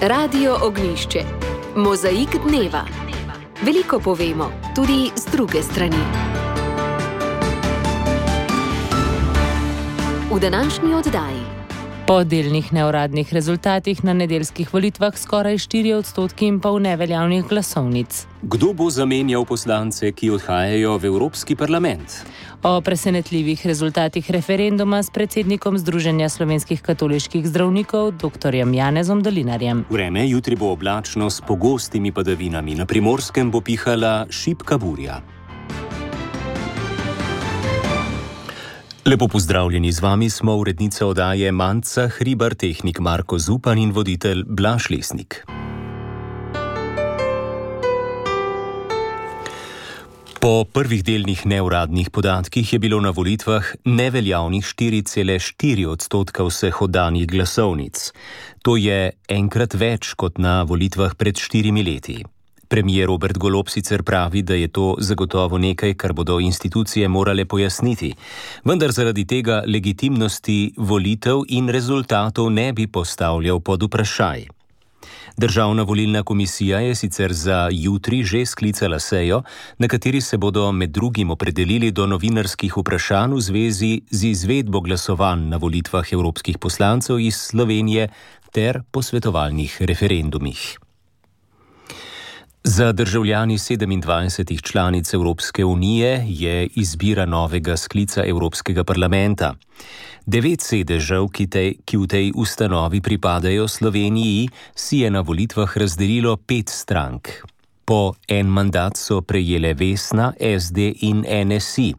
Radio Ognjišče. Mozaik dneva. Veliko povemo, tudi z druge strani. V današnji oddaji. Po delnih neuradnih rezultatih na nedeljskih volitvah skoraj 4,5% neveljavnih glasovnic. Kdo bo zamenjal poslance, ki odhajajo v Evropski parlament? O presenetljivih rezultatih referenduma s predsednikom Združenja slovenskih katoliških zdravnikov, dr. Janezom Dolinarjem. Vreme jutri bo oblačno s pogostimi padavinami. Na Primorskem bo pihala šibka burja. Lepo pozdravljeni, z vami smo urednica oddaje Manca Hribar, tehnik Marko Zupan in voditelj Blaž Lesnik. Po prvih delnih neuradnih podatkih je bilo na volitvah neveljavnih 4,4% vseh oddanih glasovnic. To je enkrat več kot na volitvah pred 4 leti. Premier Robert Golob sicer pravi, da je to zagotovo nekaj, kar bodo institucije morale pojasniti, vendar zaradi tega legitimnosti volitev in rezultatov ne bi postavljal pod vprašaj. Državna volilna komisija je sicer za jutri že sklicala sejo, na kateri se bodo med drugim opredelili do novinarskih vprašanj v zvezi z izvedbo glasovanj na volitvah evropskih poslancev iz Slovenije ter posvetovalnih referendumih. Za državljani 27 članic Evropske unije je izbira novega sklica Evropskega parlamenta. 9 sedežev, ki v tej ustanovi pripadajo Sloveniji, si je na volitvah razdelilo 5 strank. Po en mandat so prejele Vesna, SD in NSI.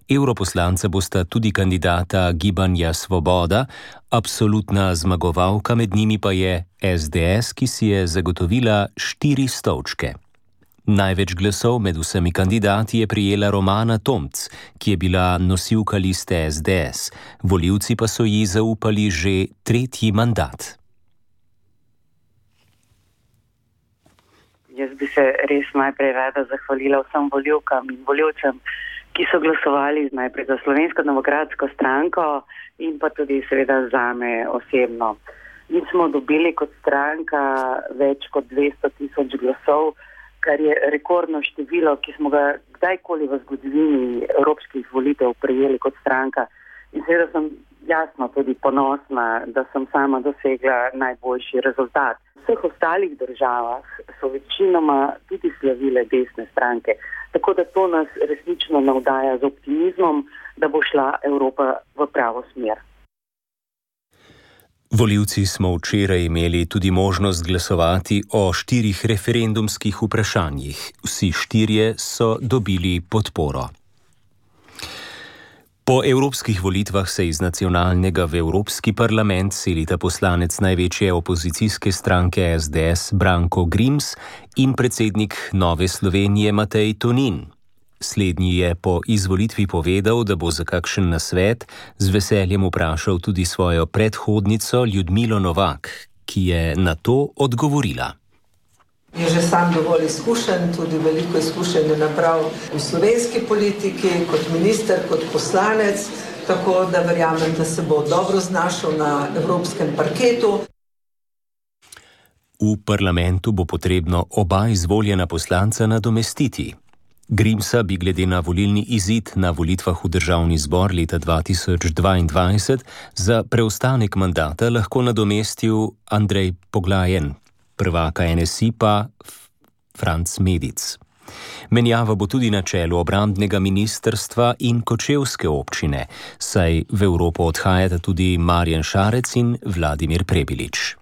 Evroposlanca bosta tudi kandidata Gibanja Svoboda, absolutna zmagovalka med njimi pa je SDS, ki si je zagotovila 4 stolčke. Največ glasov med vsemi kandidati je prijela Romana Tomc, ki je bila nosilka liste SDS. Volivci pa so ji zaupali že 3. mandat. Jaz bi se res najprej rada zahvalila vsem volivkam in volivcem, ki so glasovali najprej za Slovensko demokratsko stranko in pa tudi seveda zame osebno. Mi smo dobili kot stranka več kot 200,000 glasov, kar je rekordno število, ki smo ga kdajkoli v zgodovini evropskih volitev prejeli kot stranka. In seveda sem jasno tudi ponosna, da sem sama dosegla najboljši rezultat. V vseh ostalih državah so večinoma tudi slavile desne stranke. Tako da to nas resnično navdaja z optimizmom, da bo šla Evropa v pravo smer. Volivci smo včeraj imeli tudi možnost glasovati o 4 referendumskih vprašanjih. Vsi 4 so dobili podporo. Po evropskih volitvah se iz nacionalnega v Evropski parlament selita poslanec največje opozicijske stranke SDS Branko Grims in predsednik Nove Slovenije Matej Tonin. Slednji je po izvolitvi povedal, da bo za kakšen nasvet z veseljem vprašal tudi svojo predhodnico Ljudmilo Novak, ki je na to odgovorila. Je že sam dovolj izkušen, tudi veliko izkušenj je nabral v slovenski politiki, kot minister, kot poslanec, tako da verjamem, da se bo dobro znašel na evropskem parketu. V parlamentu bo potrebno oba izvoljena poslanca nadomestiti. Grimsa bi glede na volilni izid na volitvah v državni zbor leta 2022 za preostanek mandata lahko nadomestil Andrej Poglajen, prvaka NSI pa Franc Medic. Menjava bo tudi na čelu obrambnega ministrstva in kočevske občine, saj v Evropo odhajata tudi Marjan Šarec in Vladimir Prebilič.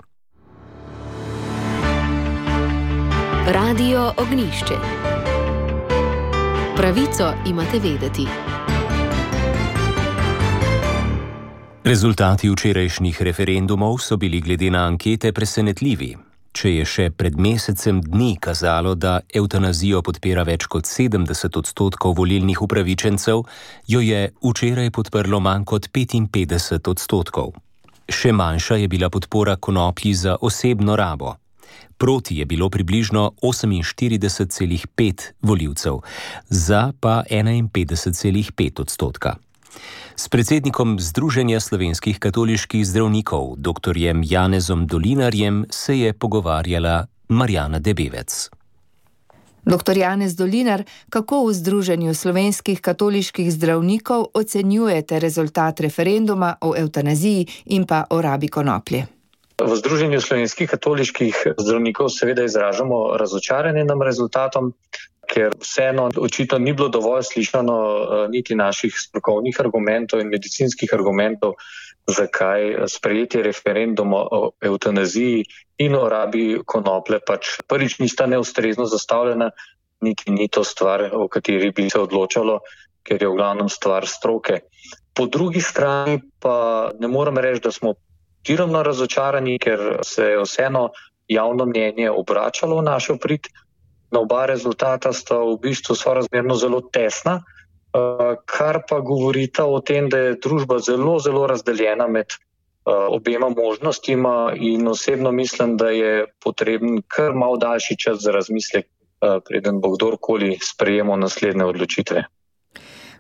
Radio Ognjišče. Pravico imate vedeti. Rezultati včerajšnjih referendumov so bili glede na ankete presenetljivi. Če je še pred mesecem dni kazalo, da evtanazijo podpira več kot 70% volilnih upravičencev, jo je včeraj podprlo manj kot 55%. Še manjša je bila podpora konoplji za osebno rabo. Proti je bilo približno 48,5 volivcev, za pa 51,5%. S predsednikom Združenja slovenskih katoliških zdravnikov, dr. Janezom Dolinarjem, se je pogovarjala Marjana Debevec. Dr. Janez Dolinar, kako v Združenju slovenskih katoliških zdravnikov ocenjujete rezultat referenduma o evtanaziji in pa o rabi konoplje? V Združenju slovenskih katoliških zdravnikov seveda izražamo razočaranje nad rezultatom, ker vseeno očitno ni bilo dovolj slišano niti naših strokovnih argumentov in medicinskih argumentov, zakaj sprejetje referenduma o evtanaziji in o rabi konoplje pač prvič nista neustrezno zastavljena, niti ni to stvar, o kateri bi se odločalo, ker je v glavnem stvar stroke. Po drugi strani pa ne morem reči, da smo tiromno razočarani, ker se je vseeno javno mnenje obračalo v našo prid. Na oba rezultata sta v bistvu sorazmerno zelo tesna, kar pa govorita o tem, da je družba zelo, zelo razdeljena med obema možnostima in osebno mislim, da je potreben kar malo daljši čas za razmislek, preden bo kdorkoli sprejemal naslednje odločitve.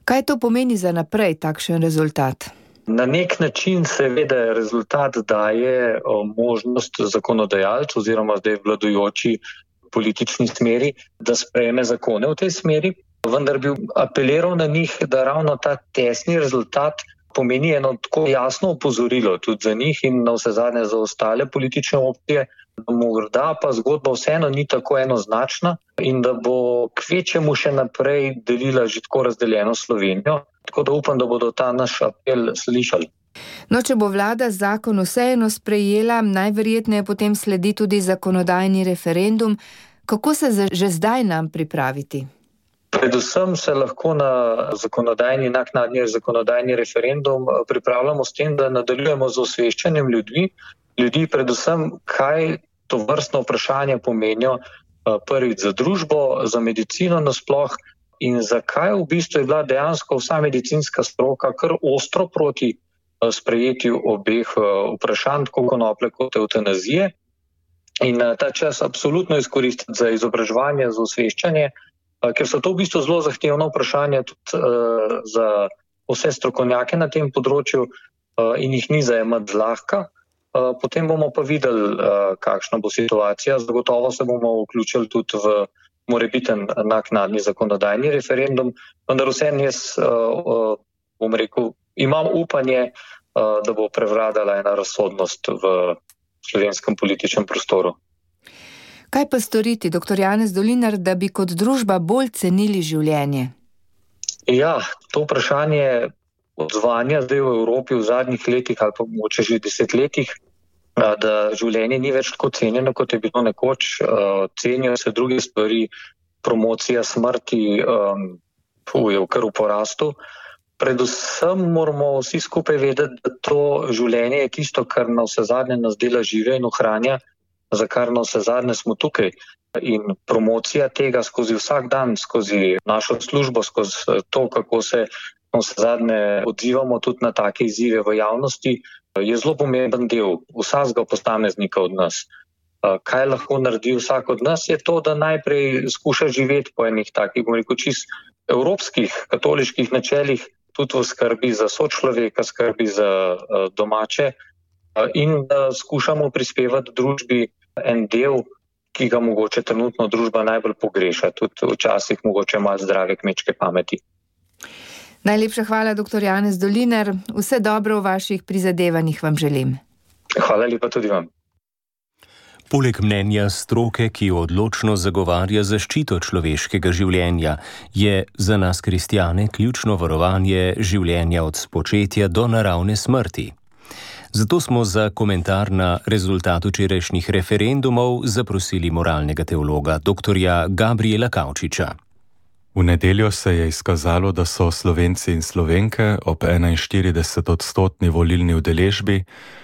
Kaj to pomeni za naprej takšen rezultat? Na nek način seveda rezultat daje možnost zakonodajalcu oziroma zdaj vladajoči politični smeri, da sprejme zakone v tej smeri, vendar bi apeliral na njih, da ravno ta tesni rezultat pomeni eno tako jasno opozorilo tudi za njih in na vse zadnje za ostale politične opcije, da morda pa zgodba vseeno ni tako enoznačna in da bo kvečjemu še naprej delila že tako razdeljeno Slovenijo, tako da upam, da bodo ta naš apel slišali. No, če bo vlada zakon vseeno sprejela, najverjetneje potem sledi tudi zakonodajni referendum. Kako se že zdaj nam pripraviti? Predvsem se lahko na naknadni zakonodajni referendum pripravljamo s tem, da nadaljujemo z osveščanjem ljudi predvsem, kaj to vrstno vprašanje pomenijo prvič za družbo, za medicino nasploh in zakaj v bistvu je bila dejansko vsa medicinska stroka kar ostro proti sprejetju obeh vprašanj, tako konoplje kot evtanazije. In ta čas absolutno izkoristiti za izobraževanje, za osveščanje, ker so to v bistvu zelo zahtevno vprašanje tudi za vse strokovnjake na tem področju in jih ni zajemati zlahka. Potem bomo pa videli, kakšna bo situacija. Zagotovo se bomo vključili tudi v morebiten naknadni zakonodajni referendum, vendar vseeno jaz bom rekel, imam upanje, da bo prevladala ena razsodnost v slovenskem političnem prostoru. Kaj pa storiti, dr. Janez Dolinar, da bi kot družba bolj cenili življenje? Ja, to vprašanje odzvanja zdaj v Evropi v zadnjih letih ali pa mogoče že desetletjih, da življenje ni več tako cenjeno, kot je bilo nekoč, cenijo se druge stvari, promocija smrti je kar v porastu. Predvsem moramo vsi skupaj vedeti, da to življenje je tisto, kar na vse zadnje nas dela žive in ohranja, za kar na vse zadnje smo tukaj. In promocija tega skozi vsak dan, skozi našo službo, skozi to, kako se na vse zadnje odzivamo tudi na take izzive v javnosti, je zelo pomemben del vsakega posameznika od nas. Kaj lahko naredi vsak od nas, je to, da najprej skuša živeti po enih takih, bom rekel, čist evropskih katoliških načelih, tudi v skrbi za sočloveka, skrbi za domače in da skušamo prispevati družbi en del, ki ga mogoče trenutno družba najbolj pogreša, tudi včasih mogoče malo zdrave kmečke pameti. Najlepša hvala, dr. Janez Dolinar. Vse dobro v vaših prizadevanjih vam želim. Hvala lepa tudi vam. Poleg mnenja stroke, ki odločno zagovarja zaščito človeškega življenja, je za nas kristjane ključno varovanje življenja od spočetja do naravne smrti. Zato smo za komentar na rezultat včerajšnjih referendumov zaprosili moralnega teologa dr. Gabriela Kavčiča. V nedeljo se je izkazalo, da so Slovenci in Slovenke ob 41% volilni udeležbi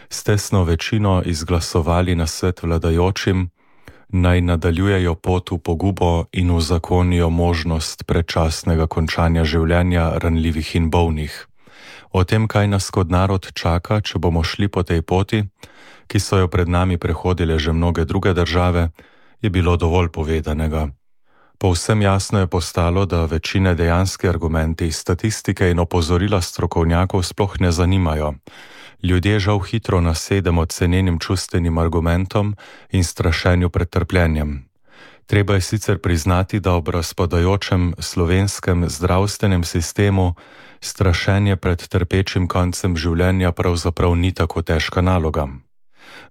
s tesno večino izglasovali nasvet vladajočim, naj nadaljujejo pot v pogubo in uzakonijo možnost predčasnega končanja življenja ranljivih in bolnih. O tem, kaj nas kot narod čaka, če bomo šli po tej poti, ki so jo pred nami prehodile že mnoge druge države, je bilo dovolj povedanega. Povsem jasno je postalo, da večine dejanski argumenti, statistike in opozorila strokovnjakov sploh ne zanimajo. Ljudje žal hitro nasedemo cenenim čustvenim argumentom in strašenju pred trpljenjem. Treba je sicer priznati, da ob razpadajočem slovenskem zdravstvenem sistemu strašenje pred trpečim koncem življenja pravzaprav ni tako težka naloga.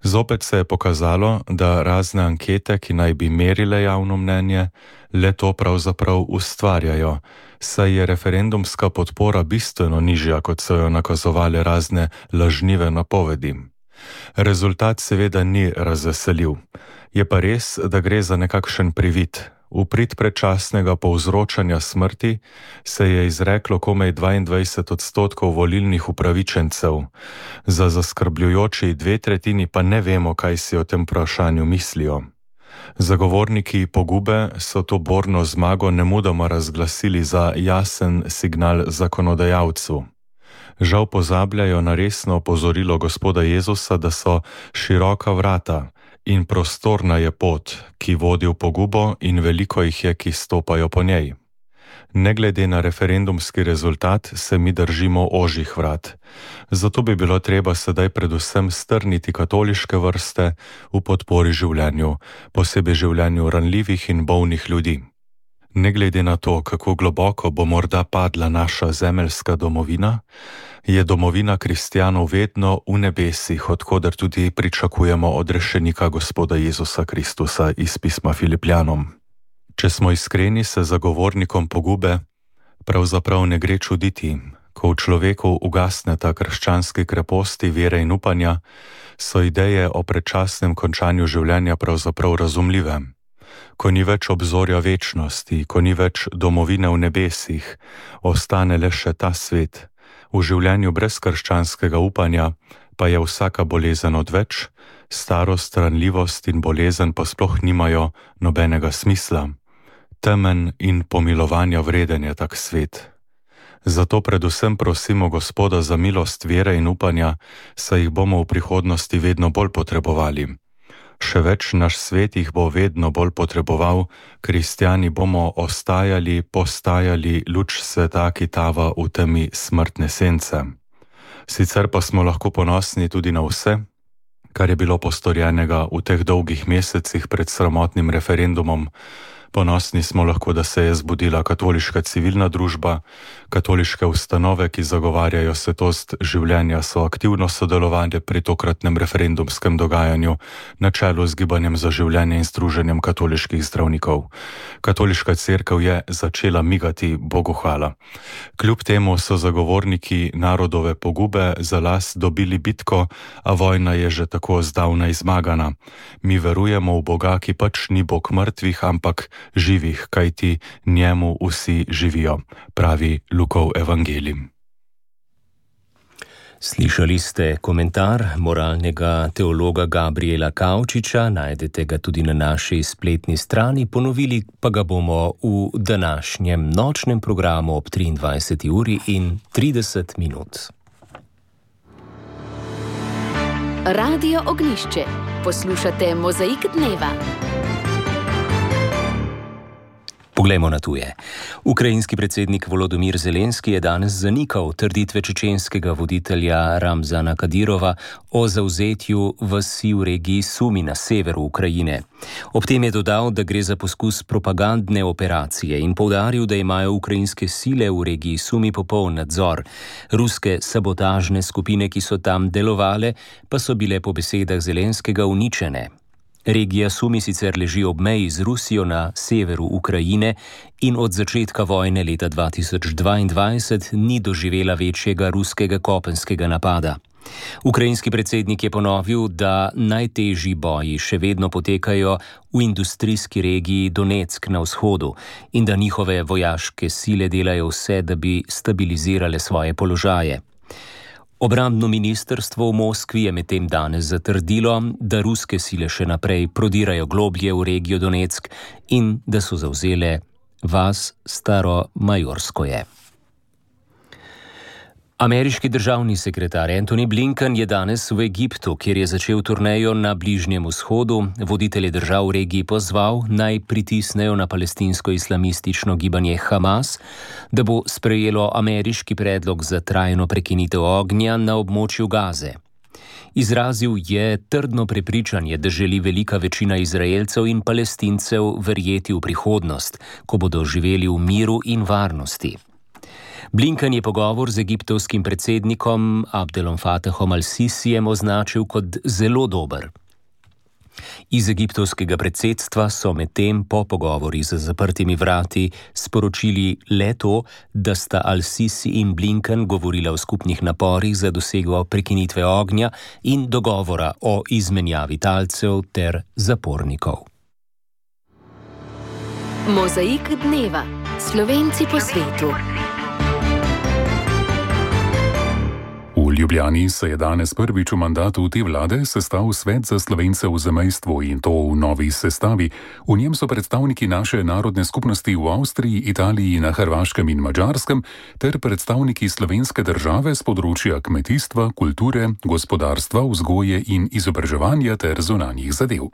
Zopet se je pokazalo, da razne ankete, ki naj bi merile javno mnenje, le to pravzaprav ustvarjajo, saj je referendumska podpora bistveno nižja, kot so jo nakazovale razne lažnive napovedi. Rezultat seveda ni razveseljiv. Je pa res, da gre za nekakšen privid. V prid predčasnega povzročanja smrti se je izreklo komaj 22% volilnih upravičencev. Za zaskrbljujoči 2/3 pa ne vemo, kaj si o tem vprašanju mislijo. Zagovorniki pogube so to borno zmago nemudoma razglasili za jasen signal zakonodajalcu. Žal pozabljajo na resno opozorilo Gospoda Jezusa, da so široka vrata in prostorna je pot, ki vodi v pogubo, in veliko jih je, ki stopajo po njej. Ne glede na referendumski rezultat se mi držimo ožjih vrat. Zato bi bilo treba sedaj predvsem strniti katoliške vrste v podpori življenju, posebej življenju ranljivih in bolnih ljudi. Ne glede na to, kako globoko bo morda padla naša zemeljska domovina, je domovina kristjanov vedno v nebesih, odkoder tudi pričakujemo odrešenika Gospoda Jezusa Kristusa iz pisma Filipljanom. Če smo iskreni, se zagovornikom pogube pravzaprav ne gre čuditi. Ko v človeku ugasneta krščanski kreposti vere in upanja, so ideje o predčasnem končanju življenja pravzaprav razumljive. Ko ni več obzorja večnosti, ko ni več domovine v nebesih, ostane le še ta svet. V življenju brez krščanskega upanja pa je vsaka bolezen odveč, starost, ranljivost in bolezen pa sploh nimajo nobenega smisla. Temen in pomilovanja vreden je tak svet. Zato predvsem prosimo Gospoda za milost vere in upanja, saj jih bomo v prihodnosti vedno bolj potrebovali. Še več, naš svet jih bo vedno bolj potreboval, kristjani bomo postajali luč sveta, ki tava v temi smrtne sence. Sicer pa smo lahko ponosni tudi na vse, kar je bilo postorjenega v teh dolgih mesecih pred sramotnim referendumom. Ponosni smo lahko, da se je zbudila katoliška civilna družba, katoliške ustanove, ki zagovarjajo svetost življenja, so aktivno sodelovali pri tokratnem referendumskem dogajanju na čelu z Gibanjem za življenje in Združenjem katoliških zdravnikov. Katoliška cerkev je začela migati, Bogu hvala. Kljub temu so zagovorniki narodove pogube za las dobili bitko, a vojna je že tako zdavnaj zmagana. Mi verujemo v Boga, ki pač ni Bog mrtvih, ampak živih, kajti njemu vsi živijo, pravi Lukov evangelij. Slišali ste komentar moralnega teologa Gabriela Kavčiča, najdete ga tudi na naši spletni strani, ponovili pa ga bomo v današnjem nočnem programu ob 23:30. Radio Ognjišče. Poslušate Mozaik dneva. Poglejmo na tuje. Ukrajinski predsednik Volodymyr Zelenski je danes zanikal trditve čečenskega voditelja Ramzana Kadyrova o zavzetju vasi v regiji Sumi na severu Ukrajine. Ob tem je dodal, da gre za poskus propagandne operacije in poudaril, da imajo ukrajinske sile v regiji Sumi popoln nadzor. Ruske sabotažne skupine, ki so tam delovale, pa so bile po besedah Zelenskega uničene. Regija Sumi sicer leži ob meji z Rusijo na severu Ukrajine in od začetka vojne leta 2022 ni doživela večjega ruskega kopenskega napada. Ukrajinski predsednik je ponovil, da najtežji boji še vedno potekajo v industrijski regiji Donetsk na vzhodu in da njihove vojaške sile delajo vse, da bi stabilizirale svoje položaje. Obrambno ministrstvo v Moskvi je medtem danes zatrdilo, da ruske sile še naprej prodirajo globlje v regijo Donetsk in da so zavzele vas Staro Majorskoje. Ameriški državni sekretar Antony Blinken je danes v Egiptu, kjer je začel turnejo na Bližnjem vzhodu, voditelje držav v regiji pozval, naj pritisnejo na palestinsko-islamistično gibanje Hamas, da bo sprejelo ameriški predlog za trajno prekinitev ognja na območju Gaze. Izrazil je trdno prepričanje, da želi velika večina Izraelcev in Palestincev verjeti v prihodnost, ko bodo živeli v miru in varnosti. Blinken je pogovor z egiptovskim predsednikom Abdelom Fattahom al-Sisijem označil kot zelo dober. Iz egiptovskega predsedstva so medtem po pogovori za zaprtimi vrati sporočili le to, da sta al-Sisi in Blinken govorila o skupnih naporih za dosego prekinitve ognja in dogovora o izmenjavi talcev ter zapornikov. Mozaik dneva. Slovenci po svetu. V Ljubljani se je danes prvič v mandatu te vlade sestal Svet za Slovence v zamejstvu in to v novi sestavi. V njem so predstavniki naše narodne skupnosti v Avstriji, Italiji, na Hrvaškem in Madžarskem ter predstavniki slovenske države z področja kmetijstva, kulture, gospodarstva, vzgoje in izobraževanja ter zunanjih zadev.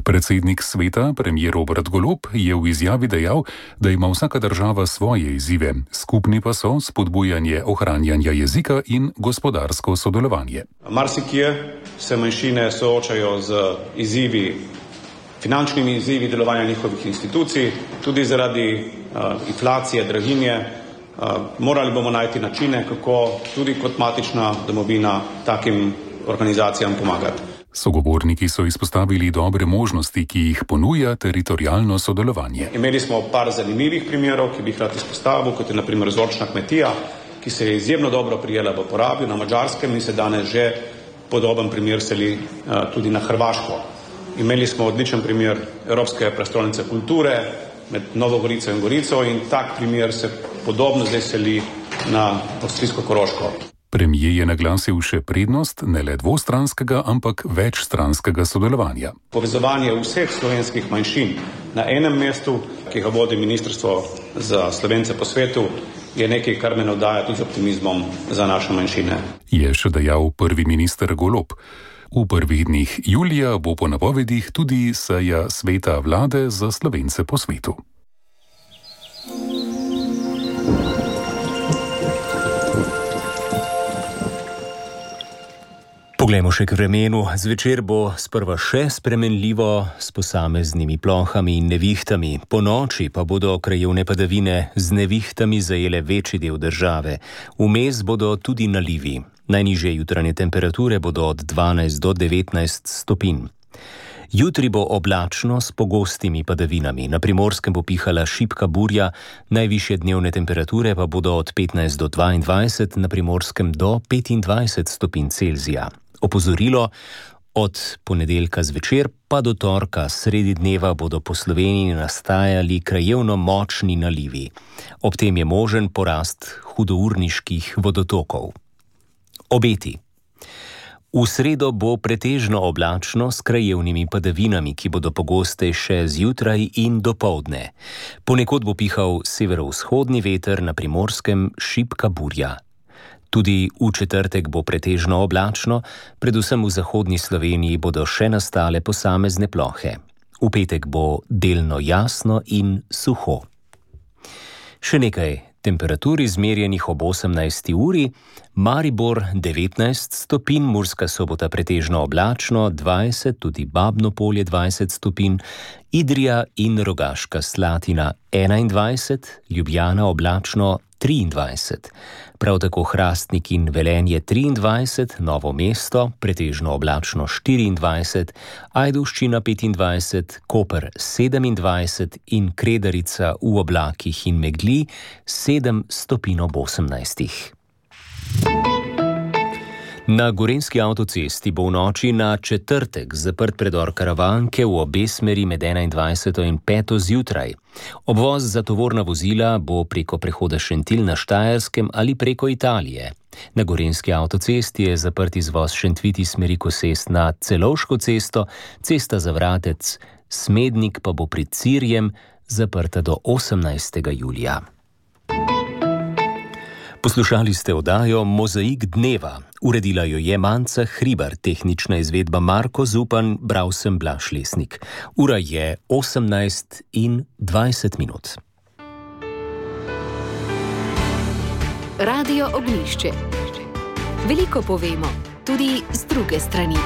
Predsednik sveta, premier Robert Golob, je v izjavi dejal, da ima vsaka država svoje izzive, skupni pa so spodbujanje ohranjanja jezika in gospodarsko sodelovanje. Marsikje se manjšine soočajo z izzivi, finančnimi izzivi delovanja njihovih institucij, tudi zaradi inflacije, draginje. Morali bomo najti načine, kako tudi kot matična domovina takim organizacijam pomagati. Sogovorniki so izpostavili dobre možnosti, ki jih ponuja teritorialno sodelovanje. Imeli smo par zanimivih primerov, ki bi jih rad izpostavil, kot je na primer vzorčna kmetija, ki se je izjemno dobro prijela v uporabi na Madžarskem in se danes že podoben primer seli tudi na Hrvaško. Imeli smo odličen primer Evropske prestolnice kulture med Novo Gorico in Gorico in tak primer se podobno zdaj seli na Avstrijsko-Koroško. Premier je naglasil še prednost ne le dvostranskega, ampak večstranskega sodelovanja. Povezovanje vseh slovenskih manjšin na enem mestu, ki ga vodi Ministrstvo za Slovence po svetu, je nekaj, kar me navdaja tudi z optimizmom za naše manjšine. Je še dejal prvi minister Golob. V prvih dneh julija bo po napovedih tudi seja sveta vlade za Slovence po svetu. Poglejmo še k vremenu. Zvečer bo sprva še spremenljivo s posameznimi plohami in nevihtami. Po noči pa bodo krajevne padavine z nevihtami zajele večji del države. Vmes bodo tudi nalivi. Najnižje jutranje temperature bodo od 12 do 19 stopinj. Jutri bo oblačno s pogostimi padavinami. Na Primorskem bo pihala šibka burja, najvišje dnevne temperature pa bodo od 15 do 22, na Primorskem do 25 stopinj Celzija. Opozorilo, od ponedeljka zvečer pa do torka sredi dneva bodo po Sloveniji nastajali krajevno močni nalivi. Ob tem je možen porast hudourniških vodotokov. Obeti. V sredo bo pretežno oblačno s krajevnimi padavinami, ki bodo pogostejše zjutraj in dopoldne. Ponekod bo pihal severovzhodni veter, na Primorskem šibka burja. Tudi v četrtek bo pretežno oblačno, predvsem v zahodni Sloveniji bodo še nastale posamezne plohe. V petek bo delno jasno in suho. Še nekaj temperatur izmerjenih ob 18. uri. Maribor 19 stopinj, Murska Sobota pretežno oblačno 20, tudi Babno Polje 20 stopinj, Idrija in Rogaška Slatina 21, Ljubljana oblačno 23. Prav tako Hrastnik in Velenje 23, Novo mesto pretežno oblačno 24, Ajdovščina 25, Koper 27 in Kredarica v oblakih in megli 7 stopinj ob 18. Na gorenjski avtocesti bo v noči na četrtek zaprt predor Karavanke v obe smeri med 21. in 5. zjutraj. Obvoz za tovorna vozila bo preko prehoda Šentilj na Štajerskem ali preko Italije. Na gorenjski avtocesti je zaprt izvoz Šentviti smeri Kosest na Celovško cesto, cesta za Vratec, Smednik pa bo pred Cirjem zaprta do 18. julija. Poslušali ste oddajo Mozaik dneva. Uredila jo je Manca Hribar, tehnična izvedba Marko Zupan, bral sem Blaž Lesnik. Ura je 18:20. Radio Oglišče. Veliko povemo, tudi z druge strani.